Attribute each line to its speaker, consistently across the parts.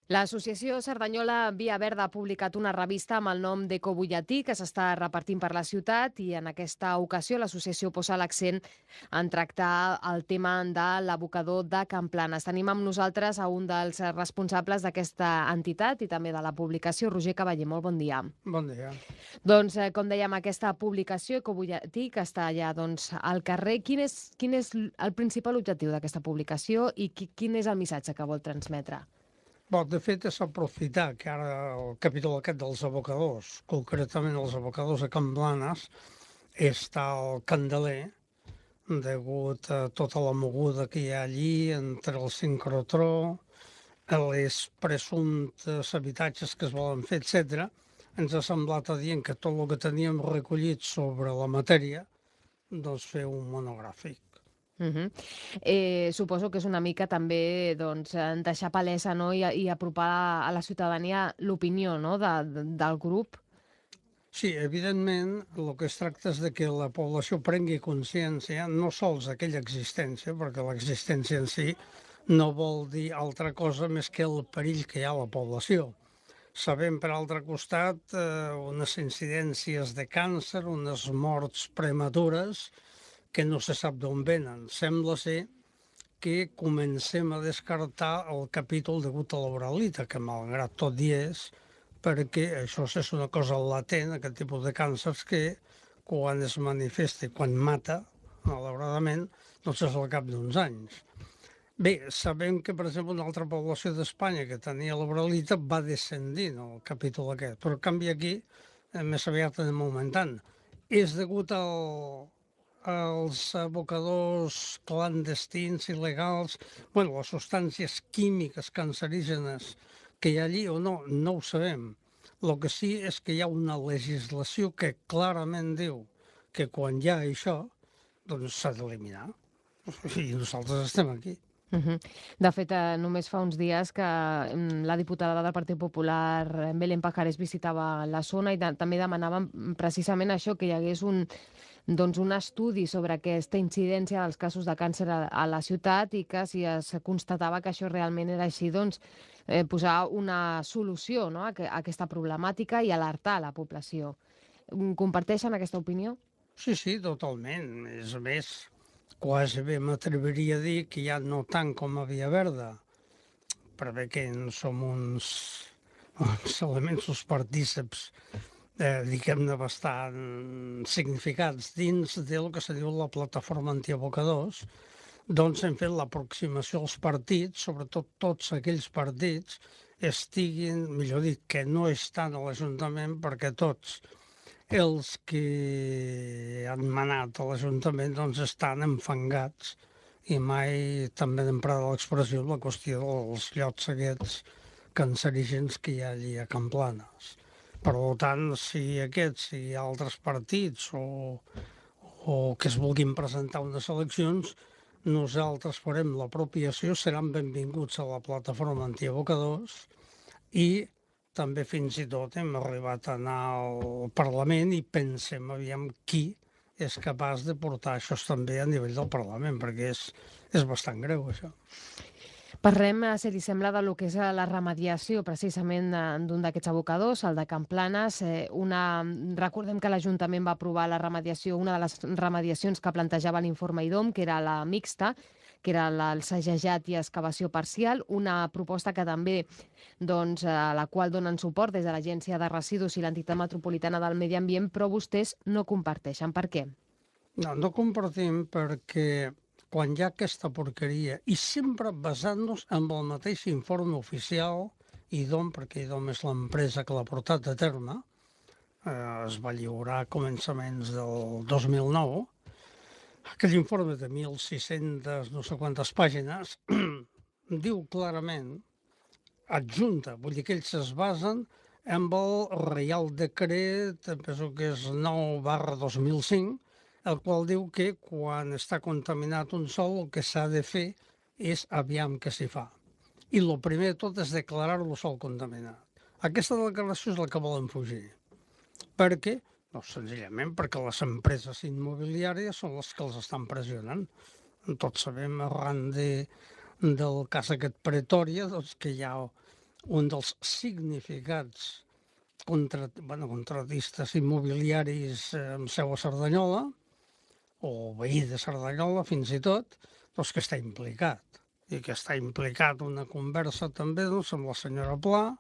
Speaker 1: L'associació Cerdanyola Via Verda ha publicat una revista amb el nom d'Ecobutlletí que s'està repartint per la ciutat i en aquesta ocasió l'associació posa l'accent en tractar el tema de l'abocador de Can Planes. Tenim amb nosaltres a un dels responsables d'aquesta entitat i també de la publicació, Roger Cavaller. Molt bon dia.
Speaker 2: Bon dia.
Speaker 1: Doncs, com dèiem, aquesta publicació Ecobutlletí que està allà al carrer, quin és el principal objectiu d'aquesta publicació i quin és el missatge que vol transmetre?
Speaker 2: De fet, és aprofitar que ara el capítol aquest dels abocadors, concretament els abocadors a Can Blanes, està al candeler degut a tota la moguda que hi ha allí entre el sincrotró, les presumptes habitatges que es volen fer, etc. Ens ha semblat adient que tot el que teníem recollit sobre la matèria, doncs fer un monogràfic.
Speaker 1: Mhm. Suposo que és una mica també, doncs, deixar palesa, no, i apropar a la ciutadania l'opinió, no, del grup.
Speaker 2: Sí, evidentment, el que es tracta és de que la població prengui consciència no sols d'aquella existència, perquè l'existència en si no vol dir altra cosa més que el perill que hi ha a la població. Sabem, per altre costat, unes incidències de càncer, unes morts prematures que no se sap d'on venen. Sembla ser que comencem a descartar el capítol degut a l'oralita, que malgrat tot hi és, perquè això és una cosa latent, aquest tipus de càncers, que quan es manifesta i quan mata, malauradament, doncs és al cap d'uns anys. Bé, sabem que, per exemple, una altra població d'Espanya que tenia l'oralita va descendint el capítol aquest, però en canvi aquí més aviat anem augmentant. És degut als abocadors clandestins, il·legals, les substàncies químiques cancerígenes que hi ha allí o no, no ho sabem. El que sí és que hi ha una legislació que clarament diu que quan hi ha això, doncs s'ha d'eliminar. I nosaltres estem aquí.
Speaker 1: Mhm. De fet, només fa uns dies que la diputada del Partit Popular, Belén Pajares, visitava la zona i també demanaven precisament això, que hi hagués un estudi sobre aquesta incidència dels casos de càncer a la ciutat i que si es constatava que això realment era així, doncs posar una solució, no, a aquesta problemàtica i alertar la població. Comparteixen aquesta opinió?
Speaker 2: Sí, sí, totalment. És més, quasi bé m'atreviria a dir que ja no tant com a Via Verda, perquè que en som uns elements, uns partíceps, diguem-ne, bastant significats dins del que se diu la plataforma antiabocadors, doncs hem fet l'aproximació als partits, sobretot tots aquells partits estiguin, millor dit, que no estan a l'Ajuntament, perquè tots els que han manat a l'Ajuntament doncs estan enfangats i mai també hem emprat l'expressió la qüestió dels llocs aquests cancerígens que hi ha allí a Can Planes. Per tant, si aquests, si altres partits o que es vulguin presentar unes eleccions, nosaltres farem l'apropiació, seran benvinguts a la plataforma antiabocadors i també fins i tot hem arribat a anar al Parlament i pensem aviam qui és capaç de portar això també a nivell del Parlament, perquè és bastant greu, això.
Speaker 1: Parlem, si li sembla, de lo que és la remediació precisament d'un d'aquests abocadors, el de Can Planes. Recordem que l'Ajuntament va aprovar la remediació, una de les remediacions que plantejava l'informe IDOM, que era la mixta, que era el sagejat i excavació parcial, una proposta que també, doncs, a la qual donen suport des de l'Agència de Residus i l'Entitat Metropolitana del Medi Ambient, però vostès no comparteixen. Per què?
Speaker 2: No, no compartim perquè quan hi ha aquesta porqueria i sempre basant-nos en el mateix informe oficial, IDOM, perquè IDOM és l'empresa que l'ha portat a terme, es va lliurar a començaments del 2009, aquell informe de 1.600 no sé quantes pàgines diu clarament, adjunta, vull dir que ells es basen en el Reial Decret, penso que és 9/2005, el qual diu que quan està contaminat un sòl el que s'ha de fer és aviam què s'hi fa. I el primer de tot és declarar-lo sòl contaminat. Aquesta declaració és la que volen fugir. Per què? No, senzillament perquè les empreses immobiliàries són les que els estan pressionant. Tots sabem, arran del cas aquest Pretòria, doncs, que hi ha un dels significats contractistes immobiliaris amb seu a Cerdanyola, o veí de Cerdanyola fins i tot, doncs que està implicat. I que està implicat una conversa també doncs, amb la senyora Pla,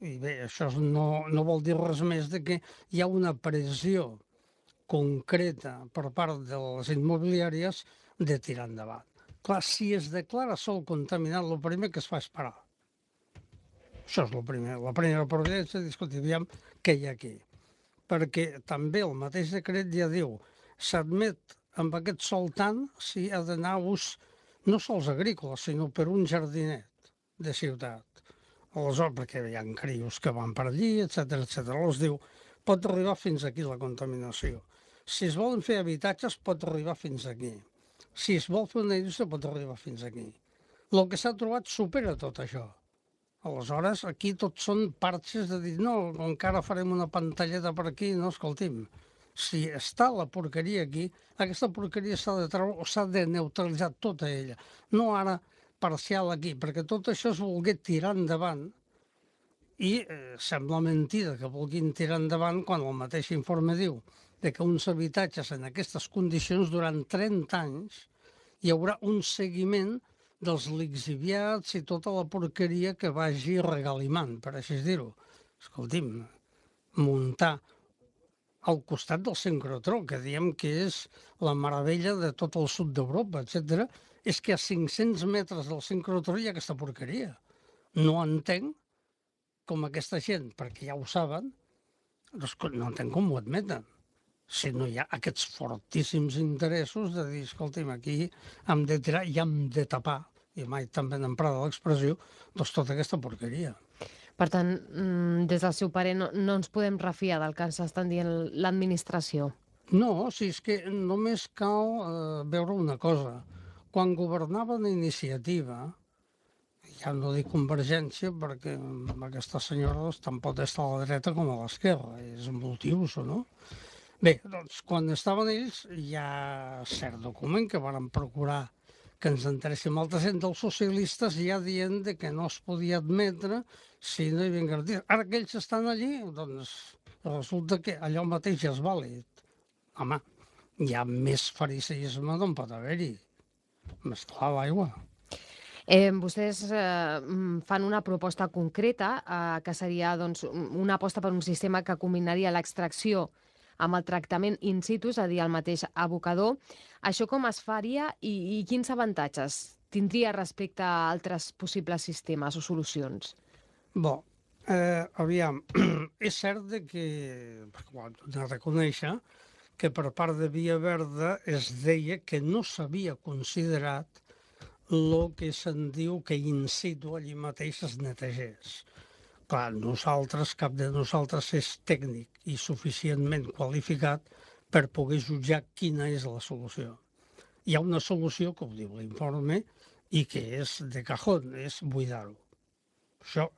Speaker 2: i bé, això no vol dir res més de que hi ha una pressió concreta per part de les immobiliàries de tirar endavant. Clar, si es declara sol contaminat, el primer que es fa és parar. Això és el primer. La primera providència és discutir, aviam què hi ha aquí. Perquè també el mateix decret ja diu s'admet amb aquest sol tant si ha d'anar a ús no sols agrícola, sinó per un jardinet de ciutat. Aleshores, perquè hi ha crios que van per allí, etc etc. Aleshores diu, pot arribar fins aquí la contaminació. Si es volen fer habitatges, pot arribar fins aquí. Si es vol fer una indústria, pot arribar fins aquí. El que s'ha trobat supera tot això. Aleshores, aquí tot són parxes de dir, no, encara farem una pantalleta per aquí, no, escolti'm, si està la porqueria aquí, aquesta porqueria s'ha de treure o s'ha de neutralitzar tota ella, no ara parcial aquí, perquè tot això es volgué tirar endavant i sembla mentida que vulguin tirar endavant quan el mateix informe diu de que uns habitatges en aquestes condicions durant 30 anys hi haurà un seguiment dels lixiviats i tota la porqueria que vagi regalimant, per així dir-ho. Escolti'm, muntar al costat del sincrotró, que diem que és la meravella de tot el sud d'Europa, etc., és que a 500 metres del sincrotró hi ha aquesta porqueria. No entenc com aquesta gent, perquè ja ho saben, doncs no entenc com ho admeten. Si no hi ha aquests fortíssims interessos de dir, escolti'm, aquí hem de tirar i hem de tapar, i mai també n'emprada l'expressió, doncs tota aquesta porqueria.
Speaker 1: Per tant, des del seu parer, no ens podem refiar del que ens estan dient l'administració.
Speaker 2: No, si és que només cal veure una cosa. Quan governaven Iniciativa, ja no dic Convergència, perquè aquesta senyora tant pot estar a la dreta com a l'esquerra, és multiuso, no? Bé, doncs, quan estaven ells, hi ha cert document que varen procurar que ens enteréssim altra gent dels socialistes ja dient de que no es podia admetre si no hi havia garanties. Ara que ells estan allí, doncs resulta que allò mateix ja és vàlid. Home, hi ha més fariseisme d'on pot haver-hi. Mesclar l'aigua.
Speaker 1: Vostès fan una proposta concreta que seria doncs, una aposta per un sistema que combinaria l'extracció amb el tractament in situ, és a dir, el mateix abocador. Això com es faria i quins avantatges tindria respecte a altres possibles sistemes o solucions?
Speaker 2: Bon, aviam, és cert que, perquè ho hem de reconèixer, que per part de Via Verda es deia que no s'havia considerat el que se'n diu que in situ allí mateix es netegés. Clar, nosaltres, cap de nosaltres és tècnic i suficientment qualificat per poder jutjar quina és la solució. Hi ha una solució, que ho diu l'informe, i que és de cajón, és buidar-ho. Això,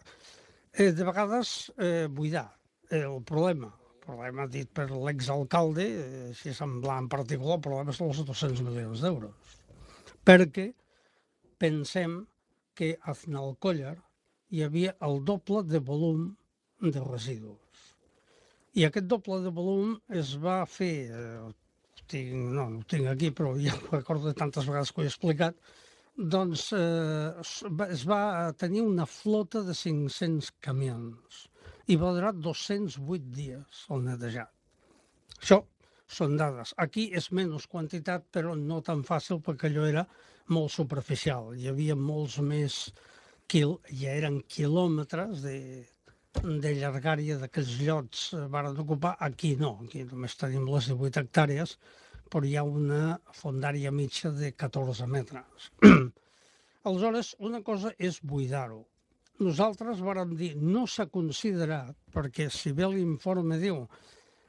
Speaker 2: de vegades, buidar. El problema dit per l'exalcalde, així semblant en particular, el problema són els 200 milions d'euros. Perquè pensem que a Aznalcóllar hi havia el doble de volum de residus. I aquest doble de volum es va fer, no ho tinc aquí, però ja ho recordo de tantes vegades que ho he explicat, doncs es va tenir una flota de 500 camions i va durar 208 dies el netejat. Això són dades. Aquí és menys quantitat, però no tan fàcil perquè allò era molt superficial. Hi havia molts més ja eren quilòmetres de llargària d'aquells llots varen ocupar. Aquí no, aquí només tenim les 18 hectàrees, però hi ha una fondària mitja de 14 metres. Aleshores, una cosa és buidar-ho. Nosaltres vàrem dir, no s'ha considerat, perquè si bé l'informe diu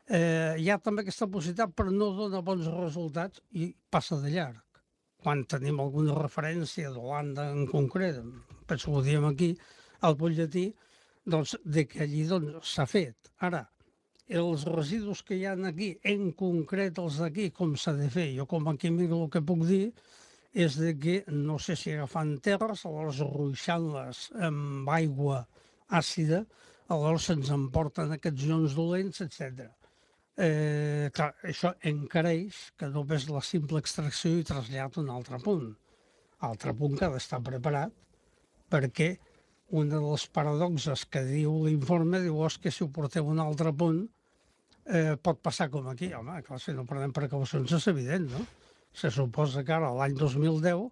Speaker 2: hi ha també aquesta possibilitat però no dona bons resultats i passa de llarg. Quan tenim alguna referència d'Holanda en concret, penso que ho diem aquí, al butlletí, doncs, de que allí s'ha fet. Ara, els residus que hi ha aquí, en concret els d'aquí, com s'ha de fer? Jo com a químic el que puc dir és de que, no sé si agafant terres, aleshores ruixant-les amb aigua àcida, aleshores se'ns emporten aquests ions dolents, etc. Clar, això encareix que només la simple extracció i trasllat a un altre punt que ha d'estar preparat, perquè una de les paradoxes que diu l'informe diu és que si ho porteu a un altre punt pot passar com aquí. Home, clar, si no prenem precaucions és evident, no? Se suposa que ara, l'any 2010,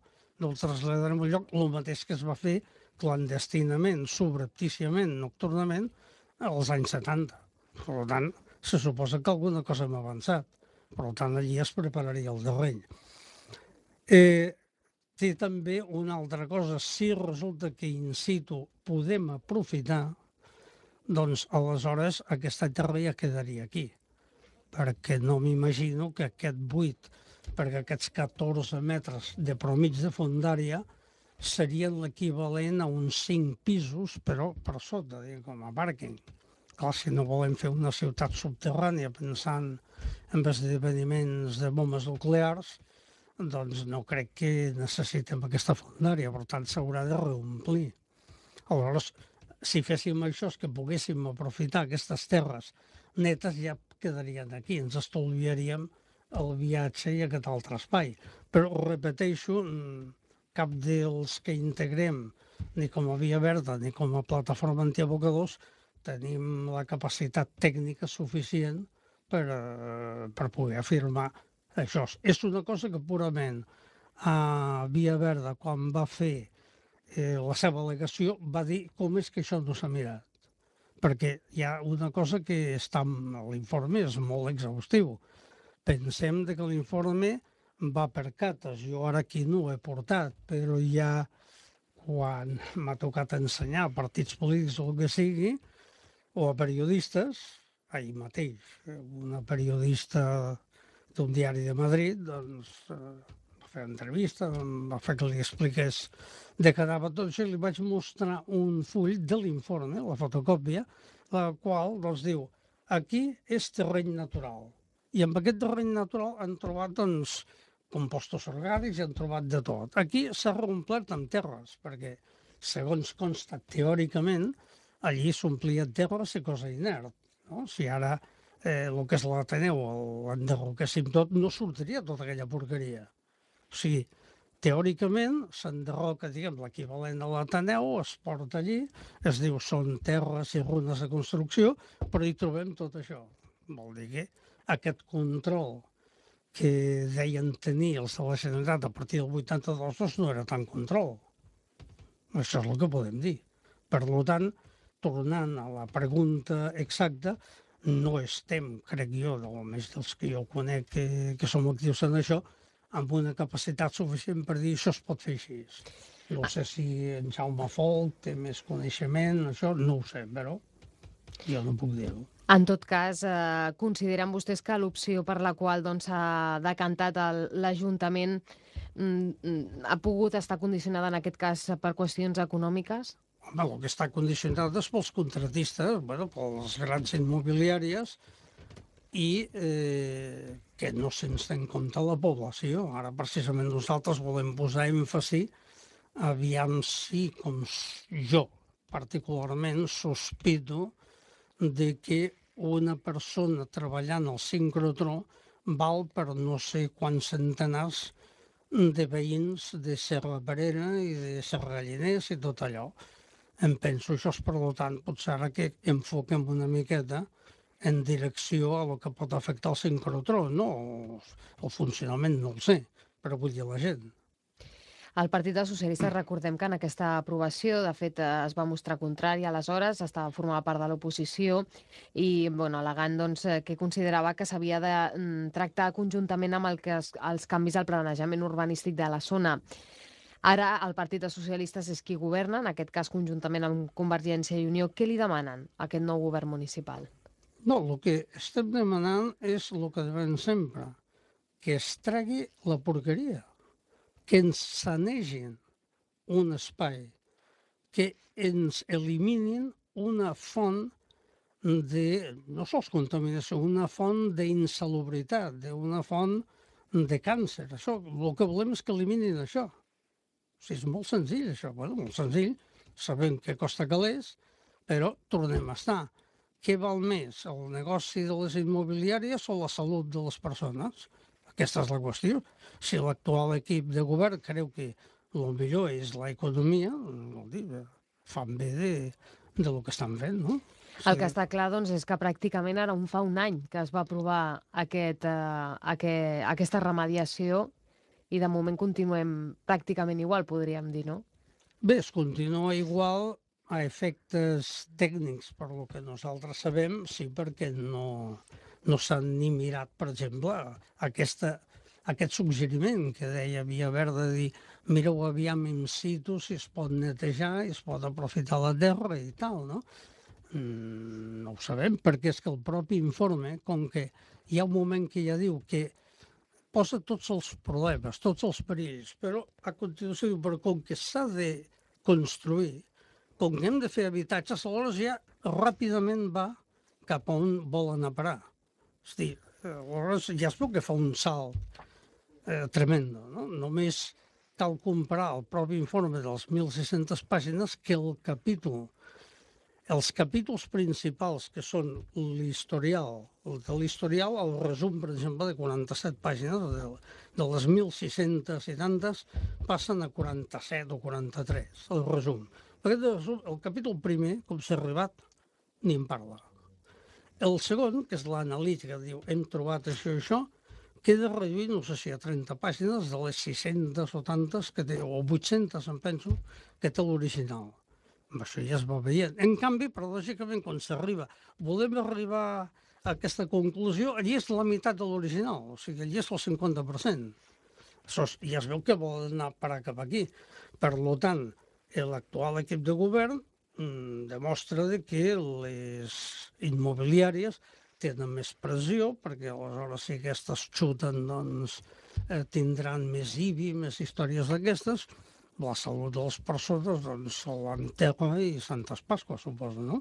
Speaker 2: no el traslladarem a un lloc el mateix que es va fer clandestinament, subreptíciament, nocturnament, als anys 70. Per tant, se suposa que alguna cosa hem avançat. Per tant, allí es prepararia el terreny. Té també una altra cosa, si resulta que in situ podem aprofitar, doncs aleshores aquesta terra ja quedaria aquí, perquè no m'imagino que aquest buit, perquè aquests 14 metres de promig de fondària serien l'equivalent a uns 5 pisos, però per sota, com a pàrquing. Clar, si no volem fer una ciutat subterrània pensant en esdeveniments de bombes nuclears, doncs no crec que necessitem aquesta fondària, per tant s'haurà de reomplir. Aleshores, si féssim això, és que poguéssim aprofitar aquestes terres netes, ja quedarien aquí, ens estalviaríem el viatge i aquest altre espai. Però, repeteixo, cap dels que integrem, ni com a Via Verda ni com a plataforma antiabocadors, tenim la capacitat tècnica suficient per poder afirmar això. És una cosa que purament a Via Verda, quan va fer la seva al·legació, va dir com és que això no s'ha mirat. Perquè hi ha una cosa que està en l'informe, és molt exhaustiu. Pensem que l'informe va per cates. Jo ara aquí no ho he portat, però ja quan m'ha tocat ensenyar a partits polítics o el que sigui, o a periodistes, ahir mateix, una periodista d'un diari de Madrid, doncs, va fer entrevista, va fer que li expliqués de què anava tot això, i li vaig mostrar un full de l'informe, la fotocòpia, la qual doncs, diu, aquí és terreny natural. I amb aquest terreny natural han trobat doncs, compostos orgànics i han trobat de tot. Aquí s'ha reomplert amb terres, perquè, segons consta teòricament, allí s'omplia terres i cosa inert. No? Si ara el que és l'Ateneu l'enderroquéssim tot, no sortiria tota aquella porqueria. O sigui, teòricament s'enderroca, diguem, l'equivalent a l'Ateneu, es porta allí, es diu són terres i runes de construcció, però hi trobem tot això. Vol dir que aquest control que deien tenir els de la Generalitat a partir del 82 doncs no era tant control. Això és el que podem dir. Per tant, tornant a la pregunta exacta, no estem, crec jo, almenys dels que jo conec que som actius en això, amb una capacitat suficient per dir això es pot fer així. No sé si en Jaume Folk té més coneixement, això no ho sé, però jo no puc dir-ho.
Speaker 1: En tot cas, consideren vostès que l'opció per la qual s'ha decantat l'Ajuntament ha pogut estar condicionada en aquest cas per qüestions econòmiques?
Speaker 2: Home, el que està condicionat és pels contratistes, bueno, pels grans immobiliàries i que no se'ns té en compte la població. Ara, precisament, nosaltres volem posar èmfasi aviam si, com jo particularment, sospito de que una persona treballant al sincrotró val per no sé quants centenars de veïns de Serra Parera i de Serra Galliners i tot allò. Em penso això, per tant, potser ara que enfoquem una miqueta en direcció a lo que pot afectar el sincrotró. No, el funcionament no el sé, però vull dir la gent.
Speaker 1: El Partit dels Socialistes, recordem que en aquesta aprovació, de fet, es va mostrar contrària aleshores, formava part de l'oposició i, al·legant que considerava que s'havia de tractar conjuntament amb els canvis al planejament urbanístic de la zona. Ara el Partit dels Socialistes és qui governa, en aquest cas conjuntament amb Convergència i Unió. Què li demanen a aquest nou govern municipal?
Speaker 2: No, el que estem demanant és el que devem sempre, que es tregui la porqueria, que ens sanegin un espai, que ens eliminin una font de, no sols contaminació, una font d'insalubritat, una font de càncer. Això, el que volem és que eliminin això. O sigui, és molt senzill, això. Bueno, molt senzill. Sabem que costa calés, però tornem a estar. Què val més, el negoci de les immobiliàries o la salut de les persones? Aquesta és la qüestió. Si l'actual equip de govern creu que el millor és l'economia, vol dir, fan bé de lo que estan fent, no?
Speaker 1: El que està clar, doncs, és que pràcticament ara fa un any que es va aprovar aquesta remediació i de moment continuem pràcticament igual, podríem dir, no?
Speaker 2: Bé, es continua igual a efectes tècnics, per lo que nosaltres sabem, sí, perquè no s'han ni mirat, per exemple, aquest suggeriment que deia Villaverde de dir mireu aviam in situ si es pot netejar i es pot aprofitar la terra i tal, no? No ho sabem, perquè és que el propi informe, com que hi ha un moment que ja diu que posa tots els problemes, tots els perills, però a continuació diu, però com que s'ha de construir, com que hem de fer habitatges, aleshores ja ràpidament va cap a on volen a parar. És a dir, aleshores ja es veu que fa un salt tremendo, no? Només cal comparar el propi informe de les 1.600 pàgines que els capítols principals, que són l'historial, el resum, per exemple, de 47 pàgines, de les 1.600 i tantes, passen a 47 o 43, el resum. El capítol primer, com s'ha arribat, ni en parla. El segon, que és l'analítica, diu, hem trobat això i això, queda reduït, no sé si a 30 pàgines, de les 600 o tantes, que té, o 800, em penso, que té l'original. Això ja es va veient. En canvi, paradògicament, quan s'arriba, volem arribar a aquesta conclusió, allí és la meitat de l'original, o sigui, allí és el 50%. Això ja es veu que vol anar a parar cap aquí. Per tant, l'actual equip de govern demostra que les immobiliàries tenen més pressió, perquè aleshores si aquestes xuten, doncs tindran més IBI, més històries d'aquestes. La salut de les persones, doncs, se l'enterra i Santes Pasques, suposo, no?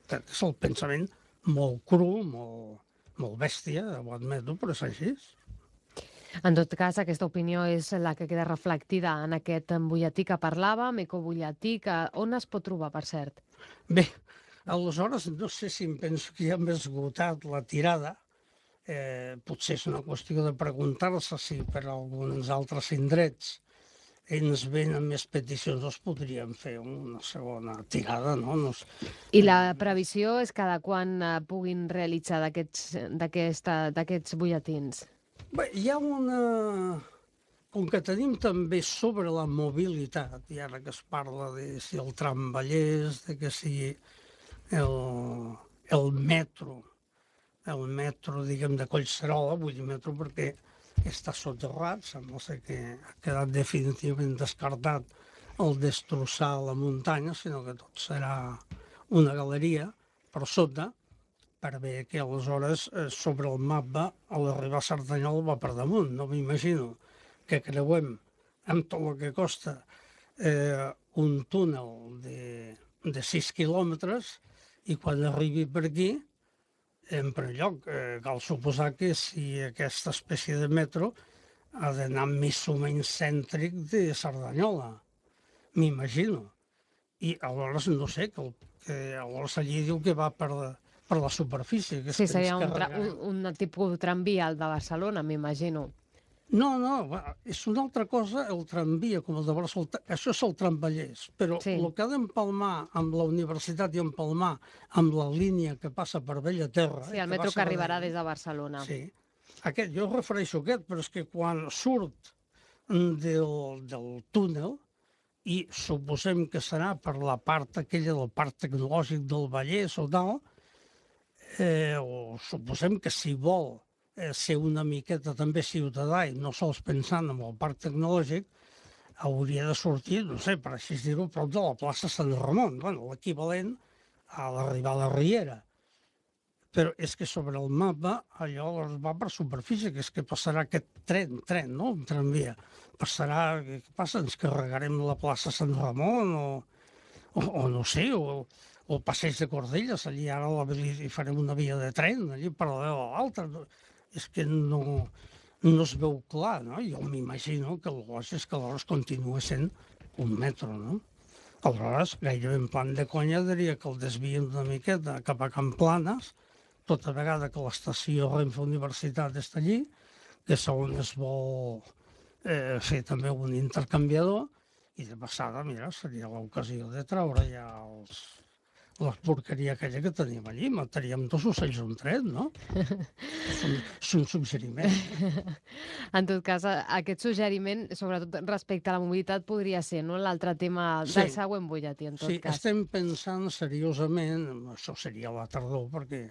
Speaker 2: És el pensament molt cru, molt bèstia, ho admeto, però és així.
Speaker 1: En tot cas, aquesta opinió és la que queda reflectida en aquest butlletí que parlàvem, ecobutlletí, que on es pot trobar, per cert?
Speaker 2: Bé, aleshores, no sé si em penso que ja hem esgotat la tirada. Potser és una qüestió de preguntar-se si per alguns altres indrets ens venen més peticions, doncs podríem fer una segona tirada, no?
Speaker 1: I la previsió és cada quan puguin realitzar d'aquests butlletins?
Speaker 2: Bé, hi ha una... Com que tenim també sobre la mobilitat, i ara que es parla de si el tramvallès, de que si el metro, diguem, de Collserola, vull dir metro perquè està soterrat, sembla ser que ha quedat definitivament descartat el destrossar la muntanya, sinó que tot serà una galeria per sota, per bé que aleshores sobre el mapa a l'arribar a Cerdanyola va per damunt. No m'imagino que creuem amb tot el que costa un túnel de 6 quilòmetres i quan arribi per aquí, en primer lloc, cal suposar que si aquesta espècie de metro ha d'anar més o menys cèntric de Cerdanyola, m'imagino. I aleshores, no sé, que aleshores allí diu que va per la superfície. Que
Speaker 1: sí, seria un tipus tramvia al de Barcelona, m'imagino.
Speaker 2: No, és una altra cosa el tramvia, com el de Barcelona. Això és el tramvallès, però sí. El que ha d'empalmar amb la universitat i empalmar amb la línia que passa per Bellaterra...
Speaker 1: Sí, el metro que arribarà des de Barcelona.
Speaker 2: Sí, jo refereixo a aquest, però és que quan surt del túnel, i suposem que serà per la part aquella del parc tecnològic del Vallès o tal, o suposem que si vol ser una miqueta també ciutadà i no sols pensant en el parc tecnològic, hauria de sortir, no sé, per així dir-ho, prop de la plaça Sant Ramon, bueno, l'equivalent a l'arribar a la Riera. Però és que sobre el mapa allò va per superfície, que és que passarà aquest tren, no?, un tramvia. Passarà, què passa, ens carregarem la plaça Sant Ramon o no sé, o el passeig de Cordelles, allí ara hi farem una via de tren, allí paral·lel a l'altra. És que no no es veu clar, no? Jo m'imagino que el lògic és que aleshores continua sent un metro, no? Aleshores, gairebé en plan de conya, diria que el desvien una miqueta cap a Can Planes, tota vegada que l'estació Renfe Universitat està allí, que és on es vol fer també un intercanviador, i de passada, mira, seria l'ocasió de treure ja la porqueria aquella que tenim allí. Mataríem dos ocells un tret, no? És un suggeriment.
Speaker 1: En tot cas, aquest suggeriment, sobretot respecte a la mobilitat, podria ser, no?, l'altre tema
Speaker 2: Sí.
Speaker 1: del següent butlletí, en tot
Speaker 2: Sí,
Speaker 1: cas.
Speaker 2: estem pensant seriosament, això seria a la tardor, perquè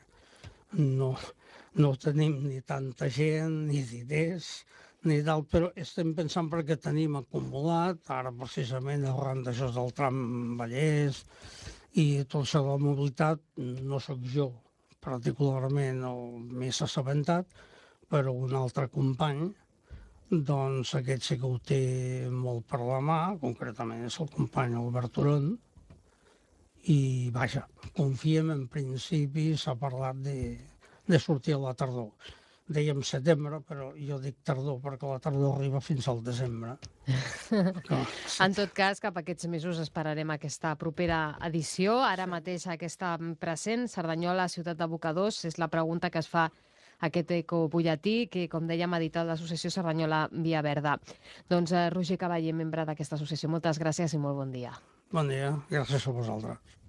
Speaker 2: no tenim ni tanta gent, ni diners, ni tal, però estem pensant perquè tenim acumulat, ara precisament arran d'això del tram Vallès i tot això de la mobilitat, no sóc jo particularment el més assabentat, però un altre company, doncs aquest sí que ho té molt per la mà, concretament és el company Albert Turon, i vaja, confiem en principi, s'ha parlat de sortir a la tardor. Dèiem setembre, però jo dic tardor perquè la tardor arriba fins al desembre.
Speaker 1: En tot cas, cap a aquests mesos esperarem aquesta propera edició. Ara mateix aquesta present, Cerdanyola, ciutat d'abocadors, és la pregunta que es fa aquest ecobutlletí que, com dèiem, ha editat l'associació Cerdanyola Via Verda. Doncs Roger Cavaller, membre d'aquesta associació, moltes gràcies i molt bon dia.
Speaker 2: Bon dia, gràcies a vosaltres.